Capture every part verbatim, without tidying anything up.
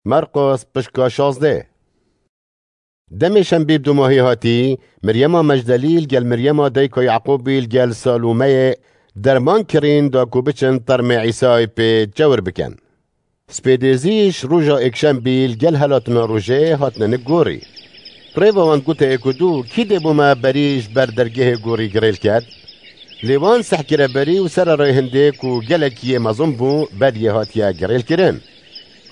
Merqos pişka şazdeh. Demê şembî bi dumahî hatî, Miryema Mecdelî li gel Miryema dayika Yaqûbî li gel Salûmeyê derman kirîn da ku biçin termê Îsayê pê çewir bikin. Spêdêzî ji roja êkşembî li gel helatina rojê hatine nik gorî. Rêva wan gote êk û du, kî dê bo me berî ji ber dergehê gorî girêl ket? Lê wan seh kire berî û sererê hindê ku gelekî yê mezin bû, beriyê hatiye girêlkirin.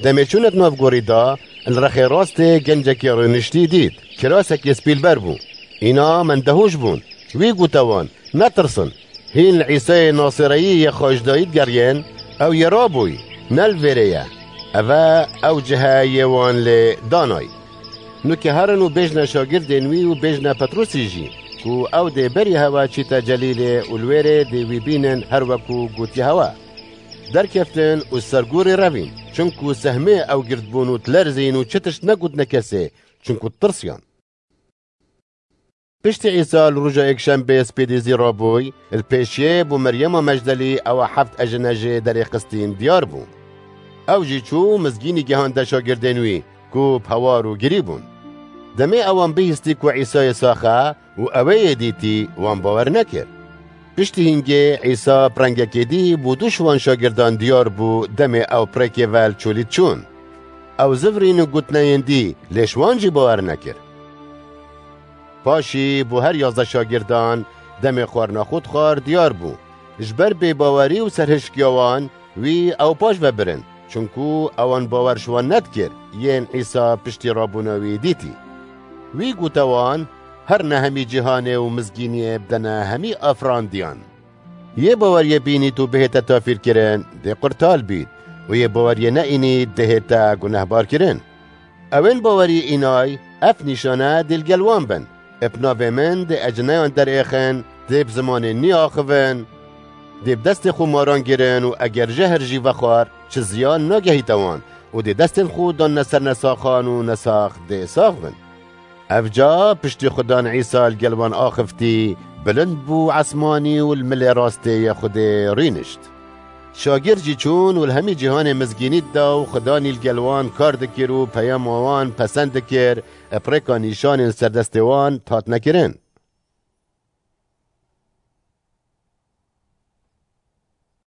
Demê çûne di nav gorî de, li rexê rastê gencekî rûniştî dît. Kirasekê spî li ber bû. Îna mendehûş bûn. Wî gote wan, netirsin. Hîn li Îsayê Nasireyî yê xwe ji dayî digeriyên, ew yê rabûyî, ne li vêrê ye. Ev e ew cih e yê wan lê danayî. Nûke herin û bêjne şagirdên wî û bêjne Petrûsî jî, ku ew dê berî hewe çîte Celîlê û li wêrê dê wî bînin her wekû gotiye hewe. Derkeftin û ser gorî revîn, çinku sehmê ew gird bûn û dilerzîn û çi tişt negotine kesê, çinku ditirsiyan. Piştî Îsa li roja êkşembê spêdêzî rabûy, li pêşiyê bo Meryema Mecdelî ewa heft ejine jê derê xistîn diyar bû. Ew jî çû mizgînî gihande şagirdên wî ku bi hewar û girî bûn. Demê ewan bihîstî ku Îsayê sax e û ewê yê dîtî, wan bawer nekir. Piştî hîngê Îsa bi rengekê dî bo du ji wan şagirdan diyar bû, demê ew pirêkê ve li çolî çûn. Ew zivirîn û gotineyên dî, lê ji wan jî bawer nekir. Paşî bo her yazdeh şagirdan demê xwarina xwe dixwar diyar bû. Ji ber bêbawerî û serhişkiya wan, wî ew paş ve birin, çinku ewan bawer ji wan nedikir, yên Îsa piştî rabûna wî dîtî. Wî gote wan, herine hemî cîhanê û mizgîniyê bidene hemî afirandiyan. Yê baweriyê bînît û bihête tafîrkirin, dê qurtal bît û yê baweriyê neînît, dihête gunehbarkirin. Ewên bawerî înay, ev nîşane dê li gel wan bin. Bi navê min dê ecineyan derêxin, dê bi zimanê nî axivin, dê bi destê xwe maran girin û eger jehr jî vexwar, çi ziyan nagehîte wan û dê destên xwe danne ser nesaxan û nesax dê sax bin. Evca piştî Xudan Îsa li gel wan axiftî, bilind bû esmanî û li milê rastê yê Xwedê rûnişt. Şagird jî çûn û li hemî cîhanê mizgînî dida û Xudanî li gel wan kar dikir û peyama wan pesend dikir, bi rêka nîşanên serdestê wan dihatine kirin.